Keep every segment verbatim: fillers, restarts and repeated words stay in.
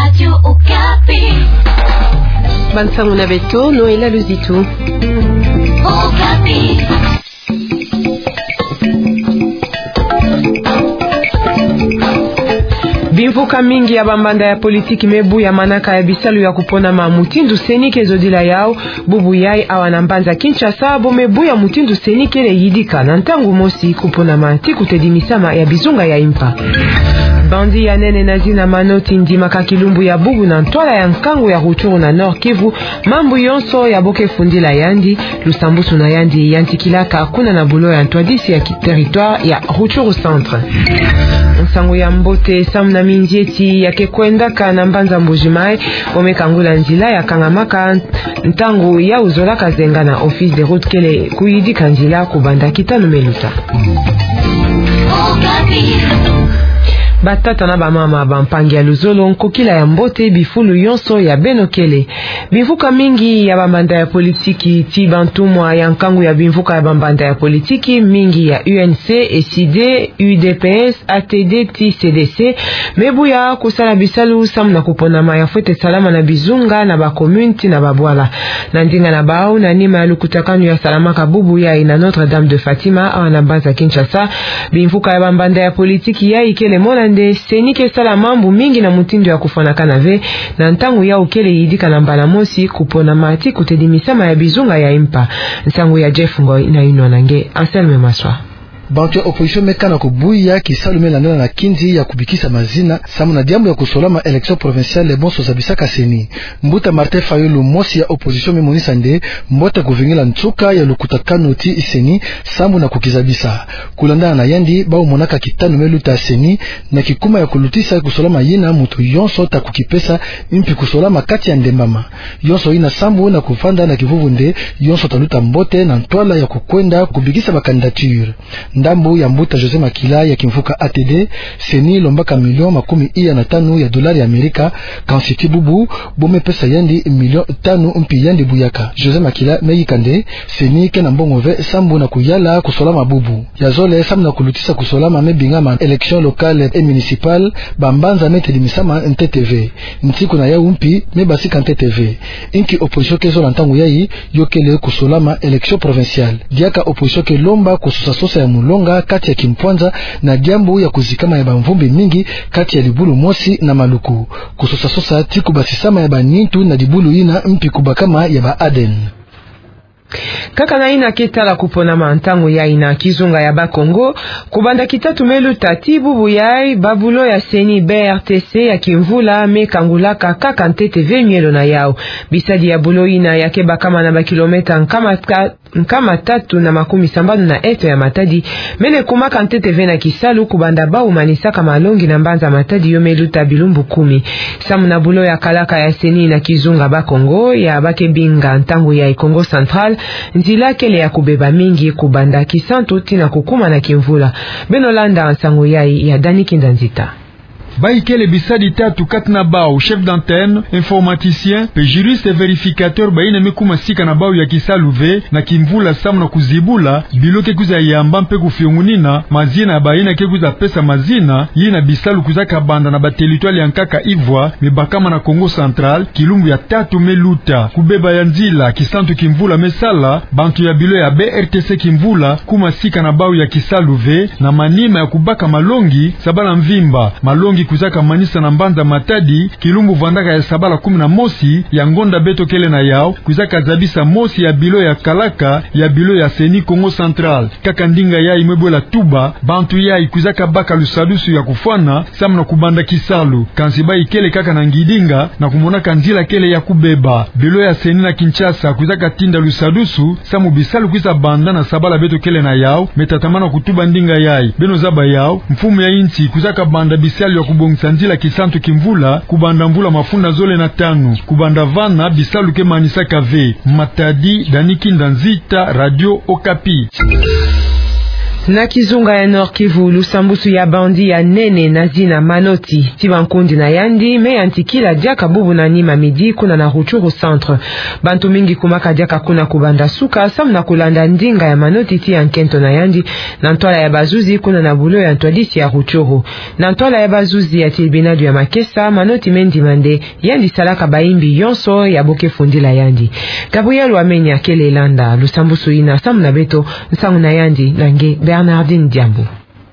Radio Okapi. Bansango na beto, Noëlla Luzitu. Okapi. Bimvuka mingi ya bambanda ya politiki me buya manaka ya bisalu ya kuponama mutindu CENI ke zodila yau. Bubu yayi awa na mbanza Kinshasa, bo me buya mutindu CENI kele yidika na ntangu mosi kuponama ti kutedimisama ya bizunga ya impa. Bandit ya nene na zina Manoti ndimaka kilumbu ya bubu na ntwala ya nkangu ya Rutshuru na Nord-Kivu, mambu yonso ya bo ke fundila yandi, lusambusu na yandi yantikilaka kuna na bulo ya ntwadisi ya ki-, territoire ya Rutshuru Centre. Nsangu ya mbote samu na minzieti ya ke kwendaka na mbanza Mbuji-Mayi, bo me kangula nzila ya kangamaka ntangu yau zolaka zenga na Office des Routes kele kuyidika nzila kubanda kitanu me luta. Batata na bamama, bampangi ya luzolo, nkokila ya mbote, bifulu yonso ya beno kele. Bimvuka mingi ya bambanda ya politiki, ti bantumwa ya nkangu ya bimvuka ya bambanda ya politiki, mingi ya U N C, ECIDE, U D P S, A T D ti C D C, me buya kusala bisalu samu na kuponama ya fwete salama na bizunga na ba commune ti na babwala. Na ndinga na bau, na nima ya lukutakanu ya salamaka bubu yayi na Notre-Dame de Fatima, awa na mbanza Kinshasa, bimvuka ya bambanda ya politiki yayi kele mona nde CENI ke sala mambu mingi na mutindu ya kufwanakana ve, na ntangu yau kele yidika na mbala mosi kuponama ti kutedimisama ya bizunga ya impa. Nsangu ya Jeff Ngoy na yinwa na nge Anselme Maswa. Bantu ya opposition me kana ko buya kisalu me landala na kinzi ya kubikisa mazina, samu na diambu ya kusolama élection provinciale bonso zabisaka CENI. Mbuta Martin Fayulu, mosi ya opposition, me monisa nde mbote kuvingila nsuka ya lukutakanu ti CENI, samu na kukizabisa. Kulandala na yandi, bau monaka kitanu me luta CENI, na kikuma ya kulutisa kusolama yina muntu yonso ta kukipesa, mpi kusolama kati ya ndembama. Yonso yina sambu na kuvanda na kivuvu nde yonso ta luta mbote na ntwala ya kukwenda kubikisa ba candidature. Ndambu ya mbuta José Makila ya kimvuka A T D, CENI lombaka million makumi iya na tanu ya dolari ya Amerika, kansi ti bubu, bo me pesa yandi million tanu mpi yandi buyaka. José Makila me yika nde, CENI ke na mbongo ve sambu na kuyala kusolama bubu. Ya zole, samu na kulutisa kusolama me bingama élection locale et municipale, bambanza me tedimisama ntete ve. Nsiku na yau mpi, me basika ntete ve. Inki opposition ke zola ntangu yayi, yo kele kusolama élection provinciale. Diaka opposition ke lomba kusosa sosa ya mulonga kati ya kimpwanza na diambu ya kuzikama ya bamvumbi mingi kati ya dibulu mosi na Maluku. Kusosa sosa ti kubasisama ya banintu na dibulu yina mpi kubakama ya ba ADN. Kaka na yina ke tala kuponama ntangu yayi na kizunga ya Bakongo, kubanda kitatu me luta ti bubu yayi, ba bulo ya CENI, B R T C ya kimvula me kangulaka kaka ntete ve mielo na yau. Bisadi ya bulo yina ya ke bakama na ba kilomètre nkama ta-, nkama tatu na makumi sambanu na eto ya Matadi, mene kumaka ntete ve na kisalu kubanda bau manisaka malongi na mbanza Matadi yo me luta bilumbu kumi. Samu na bulo ya kalaka ya CENI na kizunga Bakongo, ya ba ke binga ntangu yayi Kongo Central, nzila kele ya kubeba mingi kubanda Kisantu tii na kukuma na kimvula. Beno landa nsangu yayi ya Dani Kinda Nzita. Bayi kele bisadi tatu kati na bau, chef d'antenne, informaticien, pe juriste vérificateur, bayina me kuma sika na bau ya kisalu ve na kimvula samu na kuzibula bilo ke kwiza yamba mpe kufiongunina mazina ya bayina ke kwiza pesa mazina, yina bisalu kwizaka banda na ba territoire ya nkaka ivwa me bakama na Kongo Central, kilumbu ya tatu me luta. Kubeba ya nzila Kisantu kimvula me sala, bantu ya bilo ya B R T C kimvula kuma sika na bau ya kisalu ve, na manima ya kubaka malongi sabala mvimba. Malongi kwizaka manisa na mbanza Matadi, kilumbu vandaka ya sabala kumi na mosi ya ngonda beto kele na yau, kwizaka zabisa mosi ya bilo ya kalaka ya bilo ya CENI Kongo Central. Kaka ndinga yayi me bwela tuba, bantu yayi kwizaka baka lusadusu ya kufwana samu na kubanda kisalu. Kansi bayi kele kaka na ngidinga na kumonaka nzila kele ya kubeba. Bilo ya CENI na Kinshasa kwizaka tinda lusadusu samu bisalu kwiza banda na sabala beto kele na yau, me tatamana kutuba ndinga yayi. Beno zaba yau, mfumu ya insi kwizaka banda bisalu ya kubongisa nzila Kisantu kimvula kubanda mvula mafunda zole na tanu. Kubanda vana bisalu ke manisaka ve. Matadi, Dani Kinda Nzita, Radio Okapi. Na kizunga ya Nord-Kivu, lusambusu ya bandit ya nene na zina Manoti ti bankundi na yandi me yantikila diaka bubu na nima midi kuna na Rutshuru centre. Bantu mingi kumaka diaka kuna kubanda suka, samu na kulanda ndinga ya Manoti ti ya nkento na yandi, na ntwala ya bazuzi kuna na bulo ya ntwadisi ya Rutshuru. Na ntwala ya bazuzi ya tilibinadu ya makesa, Manoti me ndima nde yandi salaka bayimbi yonso ya bo ke fundila yandi. Gabriel Wamenya kele landa lusambusu yina samu na beto, nsangu na yandi na nge Bernardine Diambu.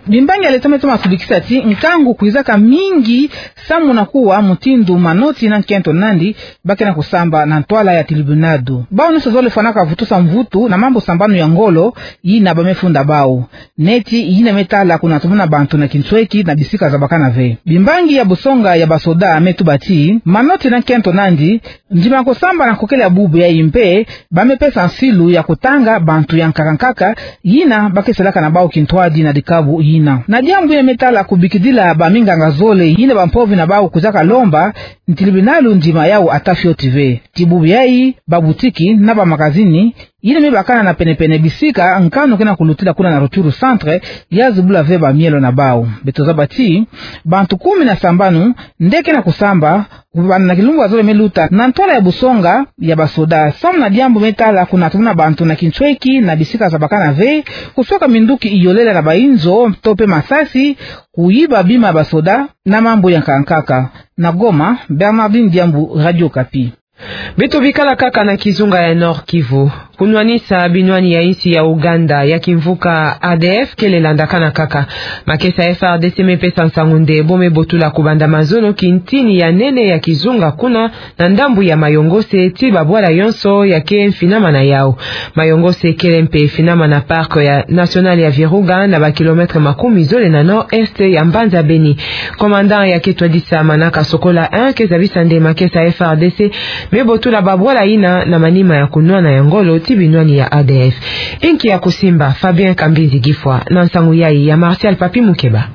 Bimbangi ya l'Etat me toma sudikisa ti nkangu kwizaka mingi samu na kuwa mutindu Manoti na nkento na yandi ba ke na kusamba na ntwala ya tilibinadu. Bawu nyonso zole fwanaka vutusa mvutu na mambu sambanu ya ngolo yina ba me funda bawu. Neti yina me tala kunatumuna bantu na kinsweki na bisika zabakana ve. Bimbangi ya busonga ya basoda me tuba ti Manoti na nkento na yandi ndima kusamba na nkokele ya bubu yayi mpe ba me pesa nsilu ya kutanga bantu ya nkaka nkaka yina ba ke salaka na bawu kintwadi na dikabu yina. Na diambu yina me tala kubikidila baminganga zole yina bampovi na bawu kwizaka lomba, tilibinalu ndima yawu ata fioti ve. Ti bubu yayi, babutiki na bamakazini yina me bakana na penepene bisika nkanu ke na kulutila kuna na Rutshuru centre, ya zibula ve bamielo na bawu. Beto zaba ti bantu kumi na sambanu nde ke na kusamba kubanda na kilumbu ya zole me luta na ntwala ya busonga ya basoda samu na diambu me tala kunatumuna bantu na kinsweki na bisika zabakana ve, kuswaka minduki iolela na bayinzo to mpe masasi, kuyiba bima ya basoda na mambu ya nkaka nkaka. Na Goma, Bernardine Diambu, Radio Okapi. Beto bikala kaka na kizunga ya Nord-Kivu. Kunwanisa binwani ya insi ya Ouganda ya kimvuka A D F kele landakana kaka. Makesa F R D C me pesa nsangu nde bo me botula kubanda mazono kintini ya nene ya kizunga kuna na ndambu ya Mayongose ti babwala yonso ya ke mfinama na yawu. Mayongose kele mpe finama na parc ya national ya Virunga na ba kilomètres makumi zole na nord-est ya mbanza Beni. Commandant ya ke twadisa manaka Sokola un ke zabisa nde makesa F R D C me botula babwala yina na manima ya kunwana ya ngolo ti binwani ya A D F. Inki ya kusimba, Fabien Kambinzi Gifwa na nsangu yayi ya Martial Papi Mukeba.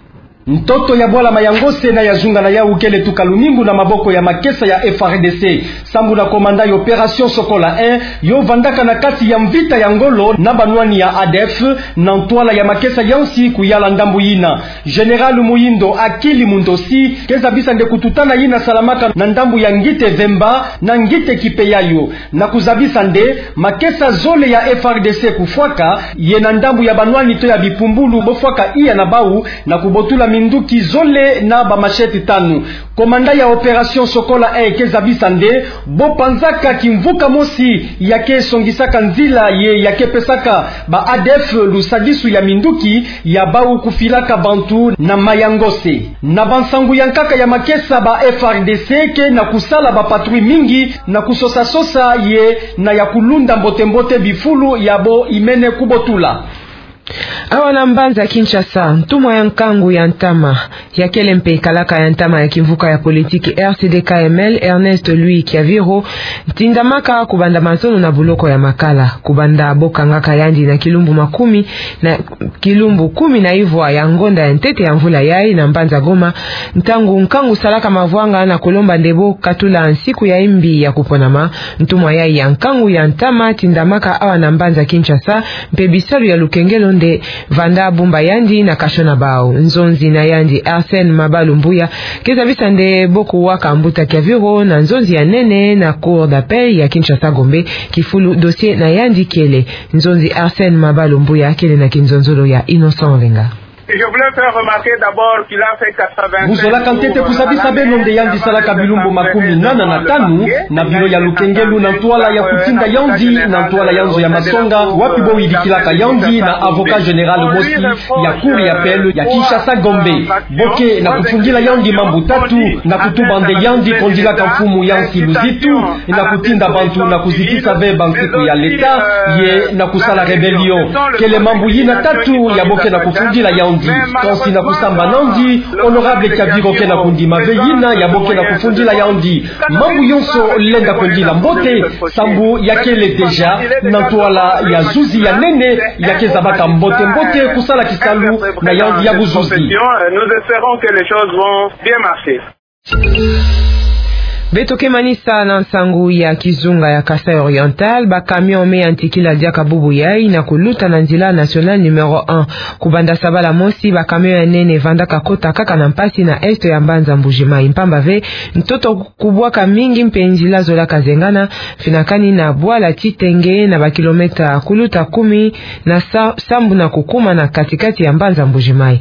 Ntoto ya bwala Mayongose na ya zunga na yawu kele tuka lumingu na maboko ya makesa ya F R D C. Sambu na commandant ya opération Sokola un, yo vandaka na kati ya mvita ya ngolo na banwani ya A D F, na ntwala ya makesa ya nsi kuyala ndambu yina. Général Muhindo Akili Mundosi ke zabisa nde kututana yina salamaka na ndambu ya Ngite Vemba na Ngite Kipeyayo. Na kuzabisa nde makesa zole ya F R D C kufwaka ye na ndambu ya banwani to ya bipumbulu bo fwaka iya na bawu na kubotula minduki zole na ba machette tanu. Commandant ya opération Sokola un ke zabisa nde bo panzaka kimvuka mosi ya ke songisaka nzila ye ya ke pesaka ba A D F lusadisu ya minduki ya bawu kufilaka bantu na Mayongose. Na bansangu ya nkaka ya makesa, ba F R D C ke na kusala ba patrouille mingi na kusosa-sosa ye na ya kulunda mbote-mbote bifulu ya bo imene kubotula. Awa na mbanza Kinshasa, ntumwa ya nkangu ya ntama, ya kele mpe kalaka ya ntama ya kimvuka ya politiki R C D K M L, Ernest Louis Kiaviro, ntindamaka kubanda mazono na buloko ya Makala, kubanda bo kangaka yandi na kilumbu makumi, na kilumbu kumi na ivwa ya ngonda ya ntete ya mvula yayi na mbanza Goma, ntangu nkangu salaka mavwanga na kulomba nde bo katula nsiku ya imbi ya kuponama. Ntumwa yayi ya nkangu ya ntama tindamaka awa na mbanza Kinshasa, mpe bisalu ya lukengelo nde vanda bumba yandi na kasho na bawu. Nzonzi na yandi Arsène Mabalumbuya ke zabisa nde bo kuwaka mbuta Kiaviro na nzonzi ya nene na Cour d'appel ya Kinshasa Gombe, kifulu dossier na yandi kele. Nzonzi Arsène Mabalumbuya kele na kinzonzolo ya Innocent Olenga. Je voulais faire remarquer d'abord qu'il a fait quatre-vingt-cinq jours. Buzolaka ntete kuzabisa beno nde yandi salaka bilumbu makumi nana na tanu na biro ya lukengelo na ntwala ya kutinda yandi na ntwala ya nzo ya masonga, wapi bo yidikilaka yandi na avocat général mosi ya Cour d'appel ya Kinshasa Gombe. Bo ke na kufundila yandi mambu tatu: na kutuba nde yandi kondilaka mfumu ya nsi luzitu, na kutinda bantu na kuzitisa ve bansiku ya leta, ye na kusala rébellion. Kele mambu yina tatu ya bo ke na kufundila yandi. Kansi na kusamba nandi, honorable Kiaviro ke na kundima ve yina ya bo ke na kufundila yandi. Mambu yonso lenda kwendila mbote, sambu ya kele déjà na ntwala ya zuzi ya nene, ya ke zabaka mbote-mbote kusala kisalu na yandi ya buzuzi. Nous espérons que les choses vont bien marcher. Beto ke manisa na nsangu ya kizunga ya Kasaï Oriental, ba camion me yantikila diaka bubu yai na kuluta na nzila nationale numéro un. Kubanda sabala mosi, ba camion ya nene vandaka kota kaka na mpasi na est ya mbanza Mbuji-Mayi. Mpamba ve, ntoto kubwaka mingi mpe nzila zolaka zengana, finakani na bwala Titenge na ba kilomètre kuluta kumi na sa-, sambu na kukuma na kati-kati ya mbanza Mbuji-Mayi.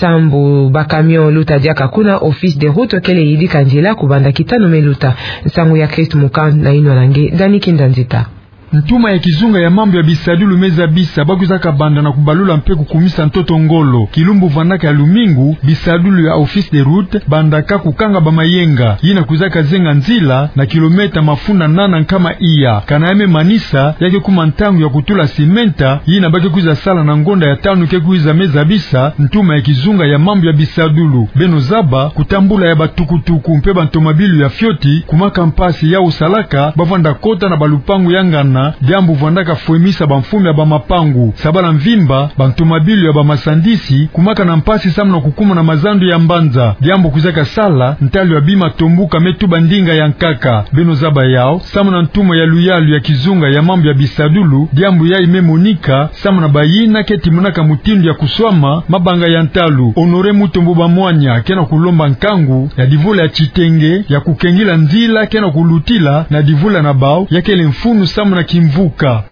Sambu ba camion luta diaka kuna, Office des routes kele yidika nzila kubanda kitanu me luta. Nsangu ya Christ Mukan na inwa na nge, Dani Kinda Nzita. Ntuma ya kizunga ya mambu ya bisadulu me zabisa ba kwizaka banda na kubalula mpe kukumisa ntoto ngolo. Kilumbu vandaka ya lumingu, bisadulu ya Office des routes bandaka kukanga ba mayenga yina kwizaka zenga nzila na kilomètre mafunda nana nkama iya. Kana ya me manisa, ya ke kuma ntangu ya kutula simenta yina ba ke kwiza sala na ngonda ya tanu ke kwiza, me zabisa ntuma ya kizunga ya mambu ya bisadulu. Beno zaba, kutambula ya ba tukutuku mpe ba ntomabilu ya fioti kumaka mpasi. Yawu salaka ba vanda kota na ba lupangu ya ngana, diambu vandaka fwemisa ba mfumu ya ba mapangu. Sabala mvimba, ba ntomabilu ya ba masandisi kumaka na mpasi samu na kukuma na mazandu ya mbanza, diambu kwizaka sala ntalu ya bima tombuka me tuba ndinga ya nkaka. Beno zaba yawu, samu na ntuma ya luyalu ya kizunga ya mambu ya bisadulu, diambu yayi me monika samu na bayina ke timonaka mutindu ya kuswama mabanga ya ntalu. Honoré Mutombo Bamwanya ke na kulomba nkangu ya divula ya Titenge ya kukengila nzila ke na kulutila na divula na bawu, ya kele mfunu samu na kimvuka.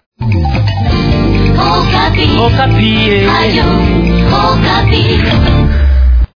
Okapi. Okapi, eh. Radio Okapi.